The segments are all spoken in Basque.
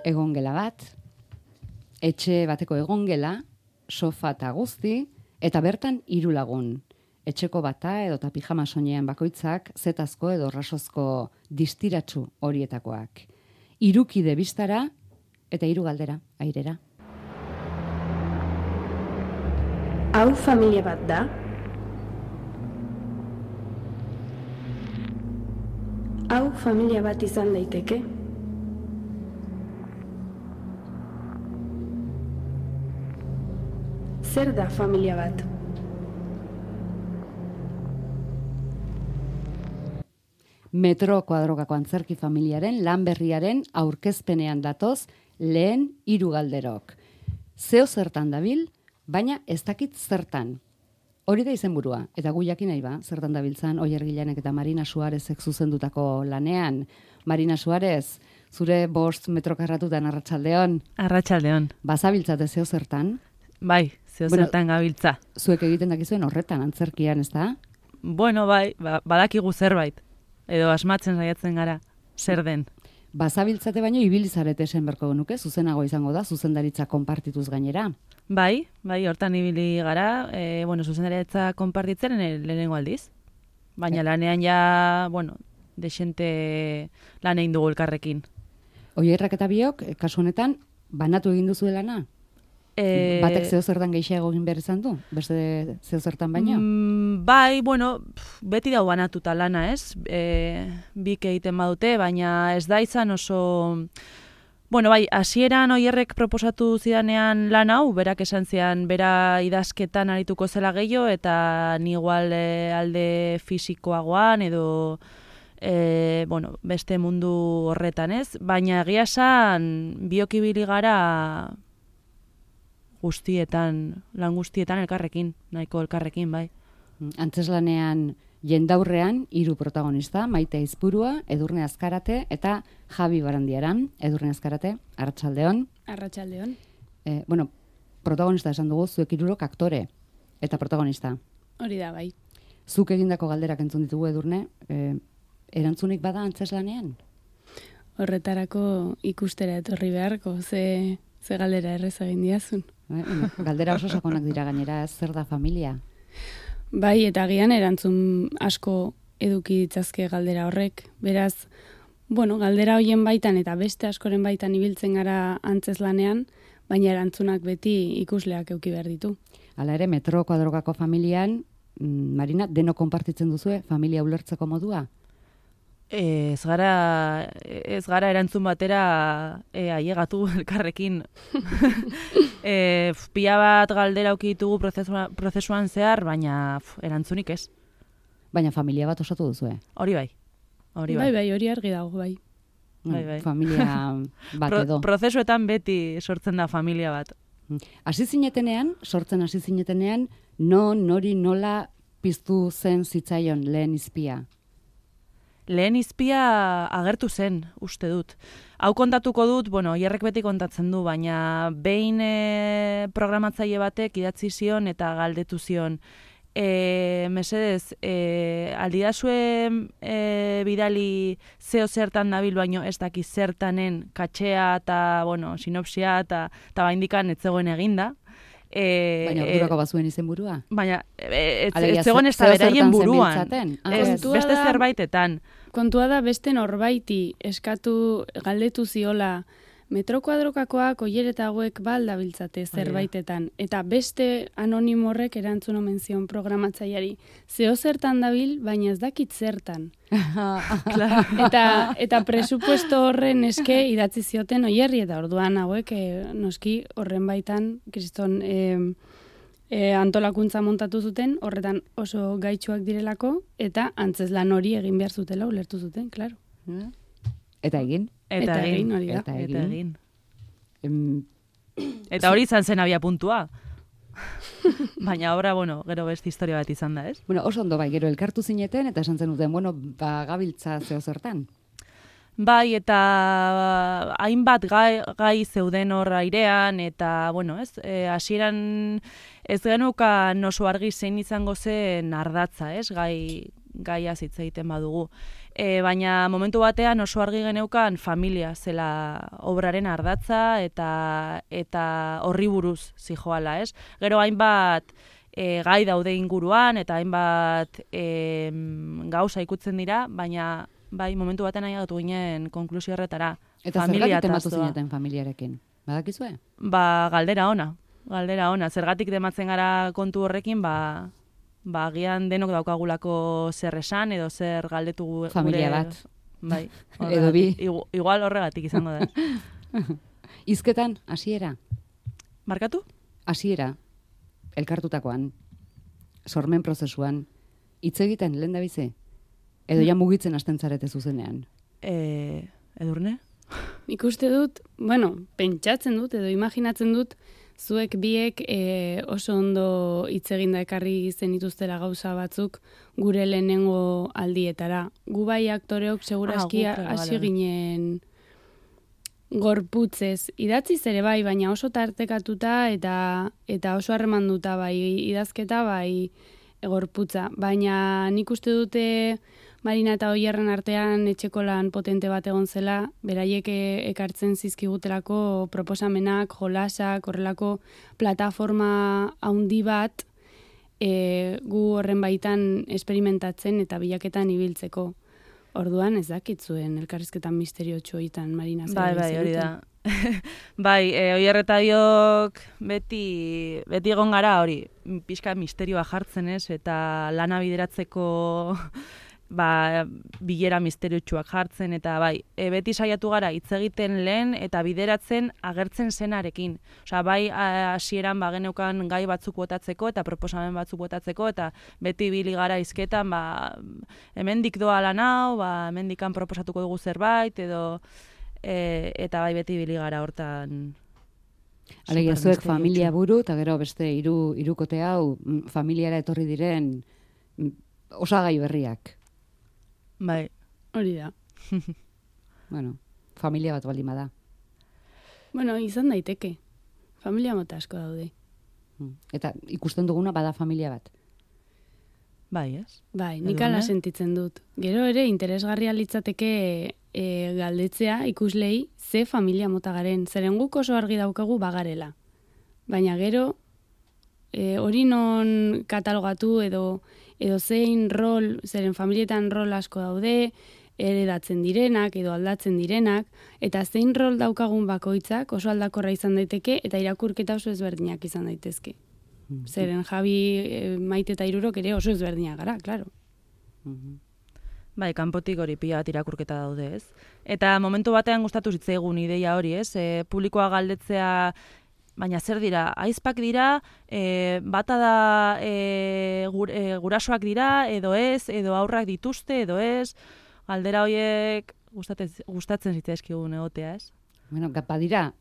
egongela bat, etxe bateko egongela, sofa eta guzti, eta bertan 3 lagun. Etxeko bata edota pijama soinean bakoitzak, zetazko edo rasozko distiratsu horietakoak. 3 kide bistara eta 3 galdera airera. Hau familia bat da? Hau familia bat izan daiteke? Zer da familia bat? Metro Kuadrokako antzerki familiaren lan berriaren aurkezpenean datoz lehen 3 galderok. Zeo zertan dabil, baina ez dakit zertan. Hori da izenburua, eta gu jakin nahi ba, zertan dabiltzan Oier Gilanek eta Marina Suarezek zuzendutako lanean. Marina Suarez, zure 5 metro karratutan arratsaldeon. Arratsaldeon. Bazabiltzate zeo zertan? Bai, zeo zertan gabiltza. Zuek egiten dakizuen horretan, antzerkian, ez da? Bueno, bai, badakigu zerbait. Edo asmatzen saiatzen gara, zer den. Bazabiltzate baino ibilizarete esan berko genuke, zuzenago izango da, zuzendaritza konpartituz gainera. Bai, hortan ibili gara, zuzendaritza konpartitzen lehenengo aldiz. Baina lanean ja, desente lan egin dugu elkarrekin. Oierrak eta biok, kasu honetan, banatu egin duzu lana? Batek zeo zertan gehiago egin behar izan du? Beste zeo zertan baino? Bai, beti dau banatuta lana, ez? Bik egiten badute, baina ez da izan oso... hasieran Oierrek proposatu zidanean lan hau, berak esan zian, bera idazketan arituko zela gehiago, eta ni igual alde fisikoagoan, edo beste mundu horretan, ez? Baina egia esan, biok ibili gara lan guztietan elkarrekin, nahiko elkarrekin, bai. Antzeslanean jendaurrean 3 protagonista, Maite Aizpurua, Edurne Azkarate eta Javi Barandiaran. Edurne Azkarate, arratsaldeon. Arratsaldeon. Protagonista esan dugu, zuek 3 aktore eta protagonista. Hori da, bai. Zuk egindako galderak entzun ditugu, Edurne, erantzunik bada antzeslanean? Horretarako ikustera etorri beharko, ze galdera errez egin diazun. Galdera oso sakonak dira gainera, zer da familia? Bai, eta agian erantzun asko eduki ditzazke galdera horrek. Beraz, galdera hoien baitan eta beste askoren baitan ibiltzen gara antzeslanean, baina erantzunak beti ikusleak eduki behar ditu. Hala ere, Metro Kuadrokako familian, Marina, deno konpartitzen duzue familia ulertzeko modua? Ez gara erantzun batera ailegatu elkarrekin. Pila bat galdera aukitugu prozesuan zehar, baina erantzunik ez. Baina familia bat osatu duzue? Hori bai. Bai, hori argi dago, bai. Familia bat edo. Prozesuetan beti sortzen da familia bat. Sortzen hasi zinetenean, nori nola piztu zen zitzaion lehen izpia? Lehen izpia agertu zen, uste dut. Hau kontatuko dut, Oierrek beti kontatzen du, baina behin programatzaile batek idatzi zion eta galdetu zion. Mesedez, aldidazue bidali zeo zertan dabil, baino ez daki zertanen katxea eta, sinopsia eta baindikan ez zegoen eginda. Baina ordurako bazuen izenburua? Baina ez zegoen ez da beraien buruan. Beste zerbaitetan. Kontua da beste norbaiti galdetu ziola Metro Kuadrokakoak Oier eta hauek baldabiltzate zerbaitetan. Eta beste anonimo horrek erantzun omen zion programatzaileari. Zeo zertan dabil, baina ez dakit zertan. Eta presupuesto horren eske idatzi zioten Oierri, eta orduan hauek noski horren baitan kriston antolakuntza montatu zuten, horretan oso gaitsuak direlako, eta antzeslan hori egin behar zutela ulertu zuten, klaro. Eta egin? Eta egin. Eta hori izan zen abia puntua. Baina obra, gero beste historia bat izan da, ez? Oso ondo bai, gero elkartu zineten, eta esan zen duten, gabiltza zeo zertan. Bai, eta hainbat gai zeuden hor airean, eta, hasieran ez genukan oso argi zein izango zen ardatza, ez? Gaia hitz egiten badugu. baina momentu batean oso argi geneukan familia zela obraren ardatza eta horri buruz zijoala, ez? Gero hainbat gai daude inguruan eta hainbat gauza ikutzen dira, baina bai momentu batean ailegatu ginen konklusio horretara. Eta zergatik tematu zineten familiarekin? Badakizue? Galdera ona. Zergatik tematzen gara kontu horrekin, agian denok daukagulako zer esan edo zer galdetu familia bat. Bai. Edo bi. Igual horregatik izango da. Hizketan, hasiera? Markatu? Hasiera, elkartutakoan, sormen prozesuan, hitz egiten lehen da bize? Edo ja mugitzen hasten zarete zuzenean? Edurne? Ikuste dut, pentsatzen dut edo imaginatzen dut, zuek biek oso ondo hitz eginda ekarri zenituztela gauza batzuk gure lehenengo aldietara. Gu bai aktoreok segurazki hasi ginen gorputzez. Idatziz ere bai, baina oso tartekatuta eta oso harremanduta bai idazketa bai gorputza. Baina nik uste dute Marina eta Oierren artean etxeko lan potente bat egon zela, beraiek ekartzen zizkigutelako proposamenak, jolasak, horrelako plataforma handi bat gu horren baitan esperimentatzen eta bilaketan ibiltzeko. Orduan ez dakitzuen elkarrizketan misteriotxo egiten, Marina. Bai, hori da. Bai, Oier eta biok beti egon gara hori, pixka misterioa jartzen ez, eta lana bideratzeko bilera misteriotsuak jartzen, eta beti saiatu gara hitz egiten lehen eta bideratzen agertzen zenarekin. Osea, bai hasieran geneukan gai batzuk botatzeko eta proposamen batzuk botatzeko, eta beti ibili gara hizketan, hemendik doa lan hau, hemendikan proposatuko dugu zerbait, edo eta bai beti ibili gara hortan. Alegia zuek familia buru, eta gero beste hirukote hau familiara etorri diren osagai berriak. Bai, hori da. Familia bat baldin bada. Izan daiteke. Familia mota asko daude. Eta ikusten duguna bada familia bat. Bai, ez? Bai, nik ala sentitzen dut. Gero ere interesgarria litzateke galdetzea ikuslei ze familia mota garen. Zeren guk oso argi daukagu bagarela. Baina gero hori non katalogatu edo zein rol, zeren familietan rol asko daude, heredatzen direnak edo aldatzen direnak, eta zein rol daukagun bakoitzak oso aldakorra izan daiteke eta irakurketa oso ezberdinak izan daitezke. Zeren Javi, Maite eta Hirurok ere oso ezberdinak gara, klaro. Bai, kanpotik hori pila bat irakurketa daude, ez? Eta momentu batean gustatu zitzaigun ideia hori, ez? Publikoa galdetzea, baina zer dira, aizpak dira, bata da gurasoak dira, edo ez, edo aurrak dituzte, edo ez, galdera horiek gustatzen zitzaizkigun egotea, ez? Badira,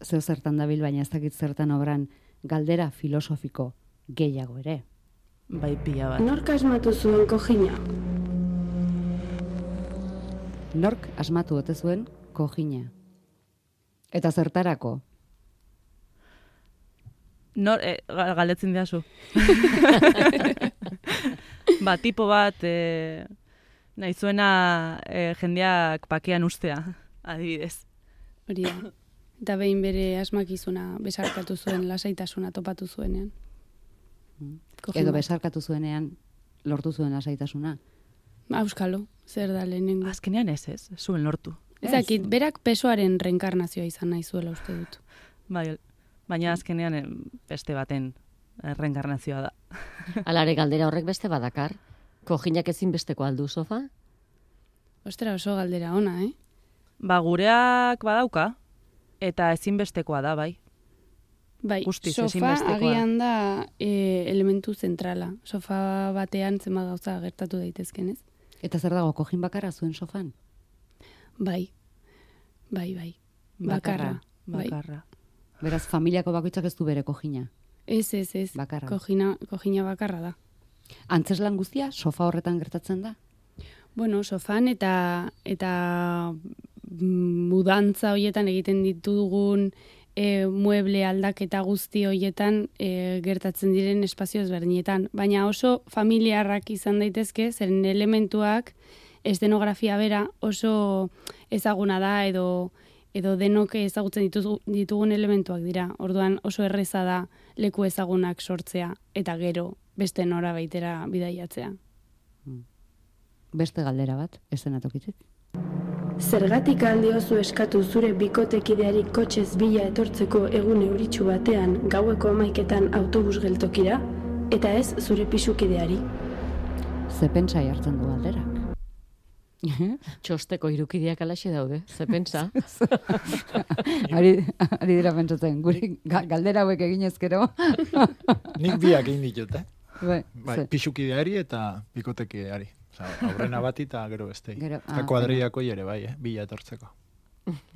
zeo zertan dabil, baina ez dakit zertan obran, galdera filosofiko gehiago ere. Bai, pila bat. Nork asmatu zuen kojina? Nork asmatu ote zuen kojina? Eta zertarako? Galdetzen diazu. Tipo bat nahi zuena jendeak pakean ustea, adibidez. Hori da. Eta behin bere asmakizuna besarkatu zuen, lasaitasuna topatu zuenean. Edo besarkatu zuenean lortu zuen lasaitasuna. Auskalo, zer da lehenengo. Azkenean ez, zuen lortu. Ezakit, berak pesoaren reenkarnazioa izan nahi zuela uste dut. Bai, baina azkenean beste baten reenkarnazioa da. Alare galdera horrek beste badakar? Kojinak ezin besteko aldu sofa? Ostera, oso galdera ona, Gureak badauka, eta ezinbestekoa da, bai. Bai, Guztiz, sofa agian da elementu zentrala. Sofa batean zenbat gauza gertatu daitezken, ez? Eta zer dago, kojin bakarra zuen sofan? Bai. Bakarra. Beraz, familiako bakoitzak ez du bere kojina? Ez. Bakarra. Kojina bakarra da. Antzeslan guztia, sofa horretan gertatzen da? Bueno, sofan eta mudantza horietan egiten ditugun mueble aldaketa guzti horietan gertatzen diren espazio ezberdinetan. Baina oso familiarrak izan daitezke, zeren elementuak estenografia bera oso ezaguna da edo denok ezagutzen ditugun elementuak dira. Orduan oso erreza da leku ezagunak sortzea eta gero beste nora baitera bidaiatzea. Beste galdera bat, eszenatokitik. Zergatik aldiozu eskatu zure bikotekideari kotxez bila etortzeko egun euritsu batean gaueko 11etan autobus geltokira, eta ez zure pisukideari? Ze pentsai hartzen du galderak. Txosteko irukideak alaxe daude, ze pentsa. Ari dira pentsatzen, guri galdera hauek egin ezkero. Nik biak egin ditut, Bai, pisukideari eta bikotekideari. Aurrena bati eta gero bestei. Eta kuadriako ere bai, bila etortzeko.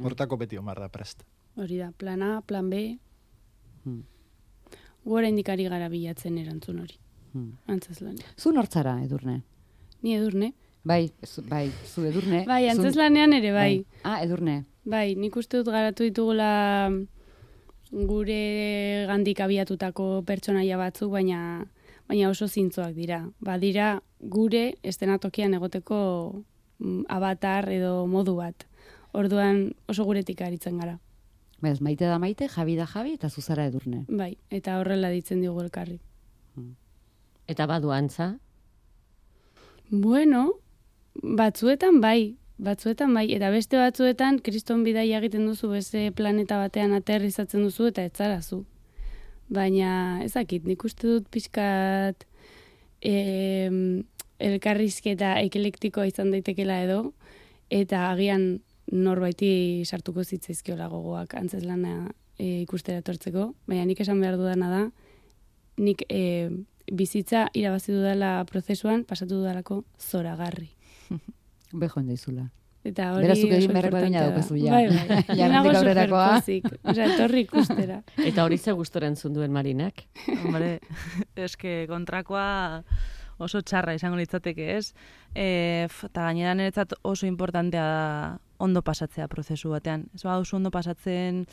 Hortako beti omar da prest. Hori da, plan A, plan B. Gora indikari gara bilatzen erantzun hori. Antzezlan. Zu nortzara, Edurne? Ni Edurne. Bai, zu Edurne. Bai, antzeslanean ere bai. Edurne. Bai, nik uste dut garatu ditugula gure gandik abiatutako pertsonaia batzuk, baina oso zintzoak dira. Badira gure estenatokian egoteko avatar edo modu bat. Orduan oso guretik aritzen gara. Bez, maite da maite, Javi da Javi eta zuzara Edurne. Bai, eta horrela ditzen digu elkarri. Eta badu antza? Bueno, batzuetan bai, eta beste batzuetan kriston bidaia egiten duzu beste planeta batean aterrizatzen duzu eta etzarazu. Baina ezakit, nik uste dut pixkat elkarrizketa eklektikoa izan daitekela edo, eta agian norbaiti sartuko zitzaizkiola gogoak antzeslana ikustera etortzeko, baina nik esan behar dudana da, nik bizitza irabazi dudala prozesuan, pasatu dudalako zoragarri. Bejoen daizula. Eta hori berazuk egin beharreko egina daukazu ja. Bai. Jarrendik aurrerakoa. Etorri ikustera. Eta hori ze gustora entzun duen Marinak? Hombre, eske kontrakoa oso txarra izango litzateke, ez? Eta gainera niretzat oso importantea da ondo pasatzea prozesu batean. Ez baduzu ondo pasatzen,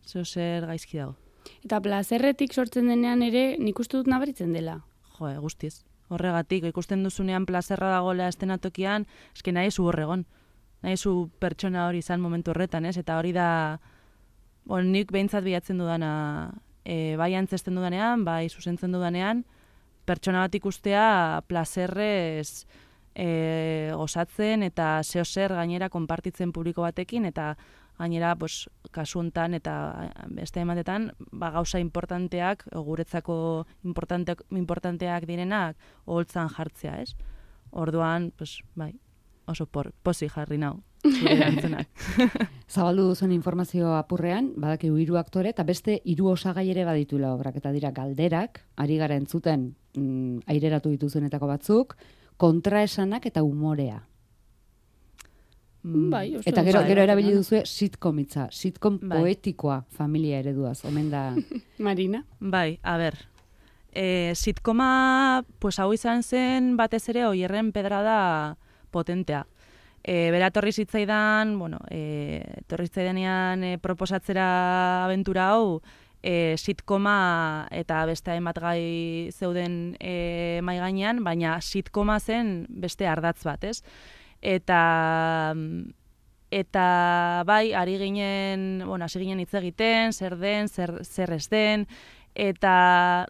zer gaizki dago. Eta plazerretik sortzen denean ere, nik uste dut nabaritzen dela. Jo, guztiz. Horregatik, ikusten duzunean plazerra dagoela estenatokian, eske nahi zu horregon. Nahi zu pertsona hori izan momentu horretan, ez? Eta hori da, nik behintzat bilatzen dudana, bai antzesten dudanean, bai zuzentzen dudanean, pertsona bat ikustea plazerrez gozatzen eta zeo zer gainera konpartitzen publiko batekin, eta gainera, kasu hontan eta beste ematetan, gauza importanteak, guretzako importanteak direnak, oholtzan jartzea, ez? Orduan, bai, oso posi jarri nau, zure erantzunak. Zabaldu duzuen informazio apurrean, badakigu 3 aktore eta beste 3 osagai ere badituela obrak, eta dira galderak, ari gara entzuten aireratu dituzuenetako batzuk, kontraesanak eta umorea. Bai, oso. Eta gero erabili duzue sitcom poetikoa familia ereduaz, omen da. Marina? Bai, a ber. Sitcoma, hau izan zen batez ere Oierren pedrada potentea. Bera torri zitzaidan, torri zitzaidanean proposatzera abentura hau, sitcoma eta beste hainbat gai zeuden mai gainean, baina sitcoma zen beste ardatz bat, ez? Eta bai, hasi ginen hitz egiten, zer den, zer ez den, eta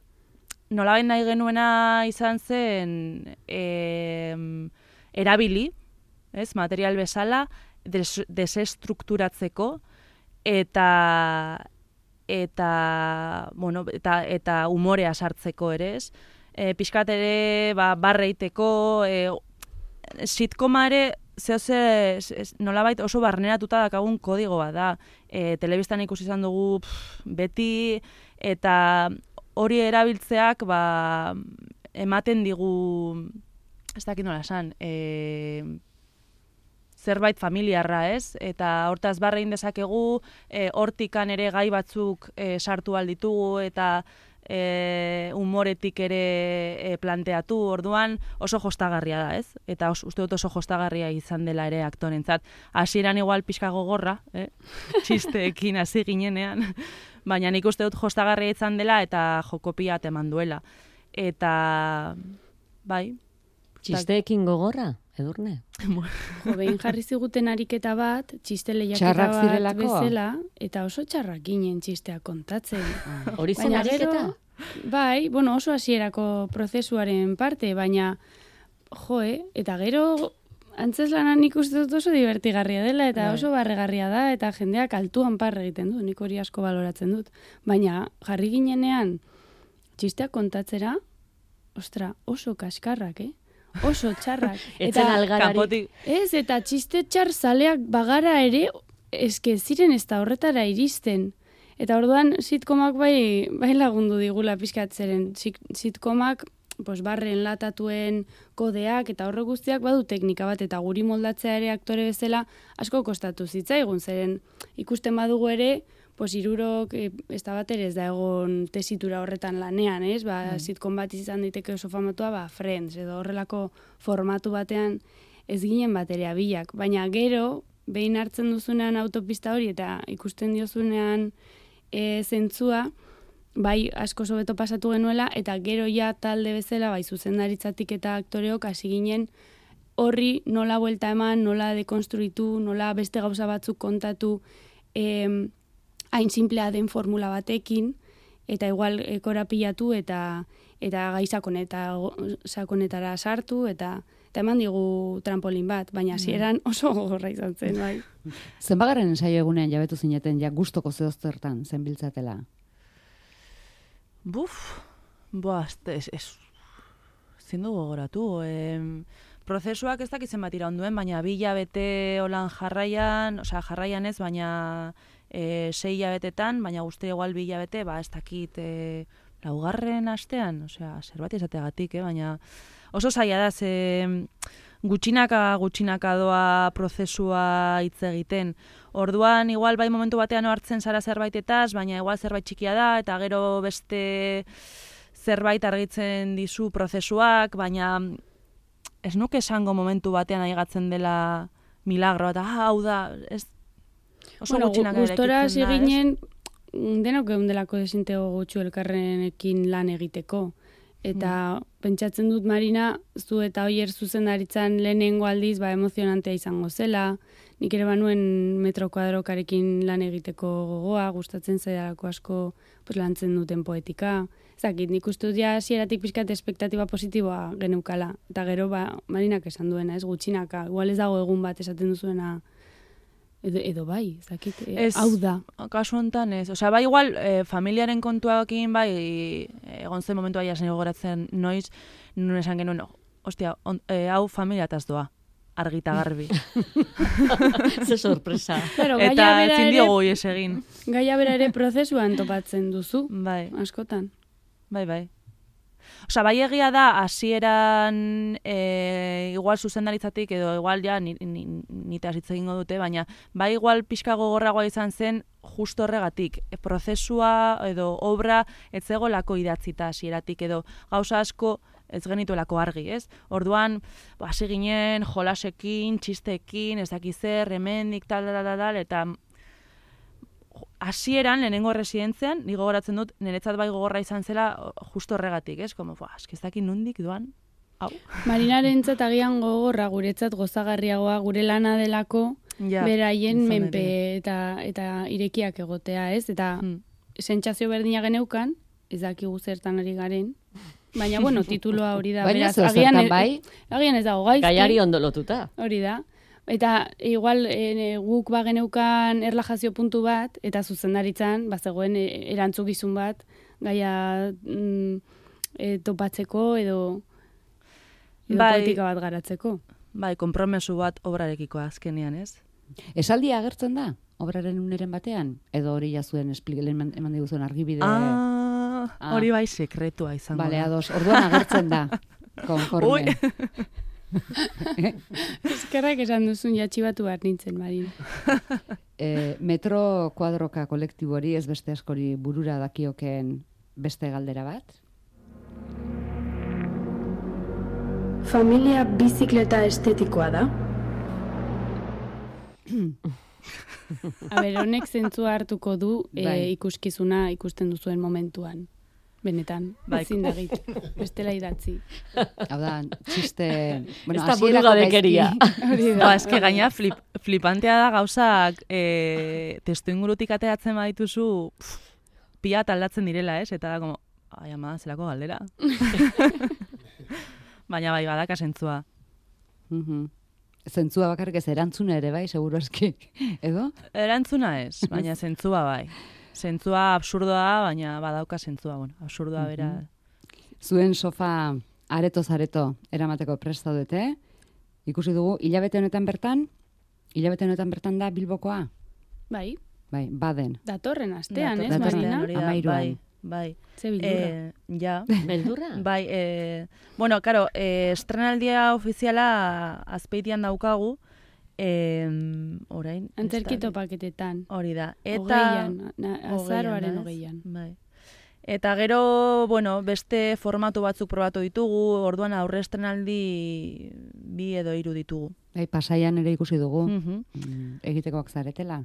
nolabait nahi genuena izan zen erabili, ez, material bezala, desestrukturatzeko, eta umorea sartzeko ere, ez? Pixkat ere, barreiteko, sitcoma ere, nolabait oso barneratuta dakagun kodigo bat da. Telebistan ikusi izan dugu beti, eta hori erabiltzeak ematen digu, ez dakit nola esan, zerbait familiarra, ez? Eta hortaz barrein dezakegu, hortikan ere gai batzuk sartu alditugu, eta umoretik ere planteatu, orduan oso jostagarria da, ez? Eta uste dut oso jostagarria izan dela ere aktorentzat. Hasieran igual pixka gogorra, txisteekin hasi ginenean, baina nik uste dut jostagarria izan dela eta jokopia eman duela. Eta, bai, Txisteekin gogorra, Edurne? Jo, behin jarri ziguten ariketa bat, txiste lehiaketa Txarrak bat zirelako? bezala, eta oso txarrak ginen txistea kontatzen. Hori zen Baina ariketa? gero, bai, bueno, oso hasierako prozesuaren parte, baina, eta gero antzeslanan nik uste dut oso divertigarria dela, eta oso barregarria da, eta jendeak altuan parre egiten du, nik hori asko baloratzen dut. Baina, jarri ginenean, txisteak kontatzera, ostra, oso kaskarrak, oso txarrak. Etzen algararik. Ez, eta txiste txar zaleak bagara ere, eske ziren ez da horretara iristen. Eta orduan, sitcomak bai lagundu digula pizkatzeren. Sitcomak, barren latatuen kodeak eta horre guztiak badu teknika bat, eta guri moldatzea ere aktore bezala asko kostatu zitzaigun, zeren ikusten badugu ere, hirurok ez da bat ere ez da egon tesitura horretan lanean, ez? Sitcom bat izan daiteke oso famatua, Friends, edo horrelako formatu batean ez ginen bat ere abilak. Baina gero, behin hartzen duzunean autopista hori eta ikusten diozunean zentzua, bai asko sobeto pasatu genuela, eta gero ja talde bezala, bai zuzendaritzatik eta aktoreok hasi ginen horri nola buelta eman, nola dekonstruitu, nola beste gauza batzuk kontatu, hain simplea den formula batekin, eta igual korapilatu eta gai sakonetara sartu, eta eman digu trampolin bat, baina hasieran oso gogorra izan zen, bai. Zenbagaren ensaio egunean jabetu zineten, ja gustoko zehoztertan zenbiltzatela? Zindu gogoratu. Prozesuak ez dakitzen bat iraunduen, baina 2 hilabete holan jarraian ez, baina 6 hilabetetan, baina guzti igual 2 hilabete, ez dakit 4. astean, zerbait izateagatik, baina oso zaila da, gutxinaka doa prozesua hitz egiten. Orduan, igual bai momentu batean hartzen zara zerbaitetaz, baina igual zerbait txikia da, eta gero beste zerbait argitzen dizu prozesuak, baina ez nuke esango momentu batean aigatzen dela milagro, eta hau da, ez oso gutxinaka gustora hasi ginen, denok egundelako desintego gutxu elkarrenekin lan egiteko. Eta pentsatzen dut, Marina, zu eta Oier zuzendaritzan lehenengo aldiz emozionantea izango zela, nik ere banuen metro kuadrokarekin lan egiteko gogoa, gustatzen zaidalako asko lantzen duten poetika. Ezakit, nik uste dut ja hasieratik pixkat espektatiba positiboa geneukala. Eta gero, Marinak esan duena, ez gutxinaka, igual ez dago egun bat esaten duzuena, edo bai, ezakit, hau da. Kasu honetan ez. Bai igual, familiaren kontuakin, bai, egon zen momentu bai asen gogoratzen noiz, nun esan genuen, hau familiataz doa, argita garbi. Ze sorpresa. Eta ezin diogu ez egin. Gaia bera ere prozesuan topatzen duzu, askotan. Bai. Bai egia da, hasieran igual zuzendaritzatik, edo igual ja nite hasitze egingo dute, baina bai igual pixka gogorragoa izan zen justo horregatik. Prozesua edo obra ez zegolako idatzita hasieratik, edo gauza asko ez genituelako argi, ez? Orduan, hasi ginen jolasekin, txistekin, ez dakiz zer, hemendik, tal, eta hasieran, lehenengo residentzean, ni gogoratzen dut, niretzat bai gogorra izan zela justo horregatik, ez? Ez dakit nondik doan, hau. Marinarentzat agian gogorra, guretzat gozagarriagoa, gure lana delako, beraien menpe eta irekiak egotea, ez? Eta sentsazio berdina geneukan, ez dakigu zertan ari garen, baina, tituloa hori da. Baina zertan bai? Agian ez dago gaizki. Gaiari ondo lotuta. Hori da. Eta igual guk bageneukan erlajazio puntu bat, eta zuzendaritzan, bazegoen erantzukizun bat, gaia topatzeko edo politika bat garatzeko. Bai, konpromesu bat obrarekiko azkenean, ez? Esaldia agertzen da, obraren uneren batean? Edo hori jazuen eman diguzuen argibide? Hori bai sekretua izango da. Bale, ados, orduan agertzen da, konforme. Eskerrak esan duzun jatxibatu behar nintzen, Marin. Metro kuadroka kolektibori ez beste askori burura dakioken beste galdera bat? Familia bizikleta estetikoa da? Honek zentzua hartuko du ikuskizuna ikusten duzuen momentuan. Benetan, ezin da git, bestela idatzi. Hau da, txiste... Ez da burugabekeria. Eske gaina flipantea da gauzak testu ingurutik ateratzen badituzu pila aldatzen direla, ez? Eta da, como, ai ama, zelako galdera. Baina bai, badaka zentzua. Zentzua bakarrik ez, erantzuna ere bai, seguro eski, edo? Erantzuna ez, baina zentzua bai. Zentzua absurdoa, baina badauka zentzua, bueno, absurdoa bera. Zuen sofa aretoz-areto eramateko prest zaudete, ikusi dugu, hilabete honetan bertan da Bilbokoa? Bai. Bai, baden. Datorren astean, ez, Marina? Amairuan. Bai. Ze bildurra. Ja. Beldurra? Bai, bueno, karo, estrenaldia ofiziala azpeitian daukagu, orain... Antzerkito paketetan. Hori da. Eta... Azaroaren 20an. Bai. Eta gero, bueno, beste formatu batzuk probatu ditugu, orduan aurre estrenaldi 2 edo 3 ditugu. Bai, Pasaian ere ikusi dugu. Egitekoak zaretela.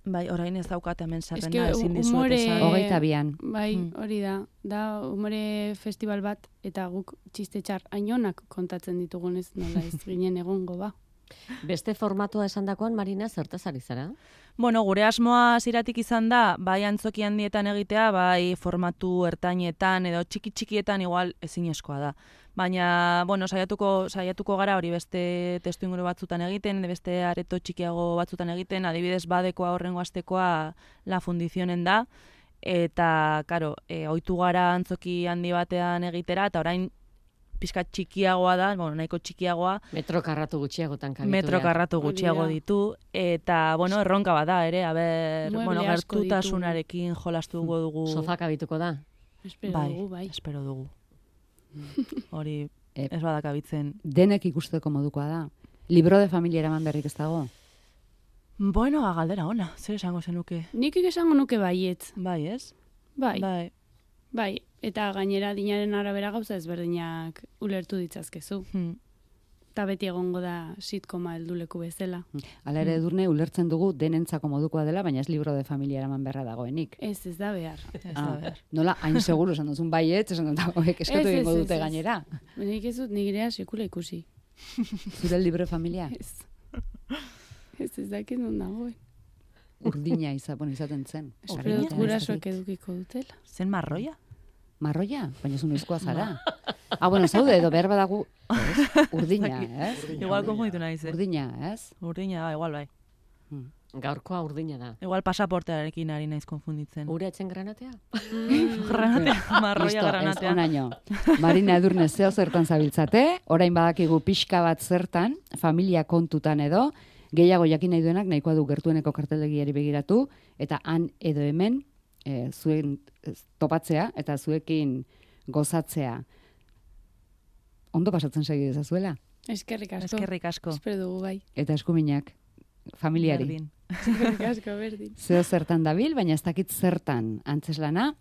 Bai, orain ez daukat hemen Eske zarrena ezin dizuet humore... esan. 22an. Bai, hori da. Da humore festival bat, eta guk txiste txar ainonak kontatzen ditugunez, nola ez ginen egongo ba. Beste formatua esandakoan, Marina, zertaz ari zara? Bueno, gure asmoa ziratik izan da, bai antzoki handietan egitea, bai formatu ertainetan edo txiki-txikietan igual ezinezkoa da. Baina, bueno, saiatuko gara hori beste testu inguru batzutan egiten, beste areto txikiago batzutan egiten, adibidez badekoa horrengo astekoa La Fundizionen da, eta, karo, ohitu gara antzoki handi batean egitera, eta orain pizkat txikiagoa da, bueno, nahiko txikiagoa. Metro karratu gutxiagotan kabitu. Metro karratu gutxiago ditu, eta, bueno, erronka bada ere, bueno, gertutasunarekin jolastuko dugu. Sofa kabituko da? Espero dugu, bai. Espero dugu. Hori ez badakabitzen. Denek ikusteko modukoa da. Libro de familia eraman berrik ez dago? Bueno, galdera ona, zer esango zenuke? Nik esango nuke baietz. Bai, ez? Bai. Bai, eta gainera dinaren arabera gauza ezberdinak ulertu ditzazkezu. Eta beti egongo da sitkoma helduleku bezala. Hala ere Edurne, ulertzen dugu denentzako modukoa dela, baina ez libro de familia eraman berra dagoenik. Ez da behar. Nola, hain seguru esan duzun baiet, esan dut hauek eskatu egingo dute gainera. Nik ez dut nigirea sekula ikusi. Zure libro de familia? Ez dakit non dagoen. Urdina izaten zen. Espero dut gurasoak edukiko dutela. Zen marroia? Marroia? Baina zun izkoa zara. Bueno, zaude edo behar badagu urdina, ez? Igual konfunditu nahi ze. Urdina, ez? Urdina, igual bai. Gaurkoa urdina da. Igual pasaportearekin ari naiz konfunditzen. Ure etzen granatea? Granatea, marroia granatea. Onaino. Marina Edurne zeo zertan zabiltzate, orain badakigu pixka bat zertan, familia kontutan edo, gehiago jakin nahi duenak nahikoa du gertueneko karteldegiari begiratu, eta han edo hemen zuen topatzea eta zuekin gozatzea. Ondo pasatzen segi dezazuela. Eskerrik asko. Eskerrik asko. Espero dugu bai. Eta eskuminak familiari. Berdin. Eskerrik asko, berdin. Zeo zertan dabil, baina ez dakit zertan antzeslana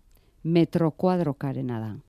metro kuadrokarena da.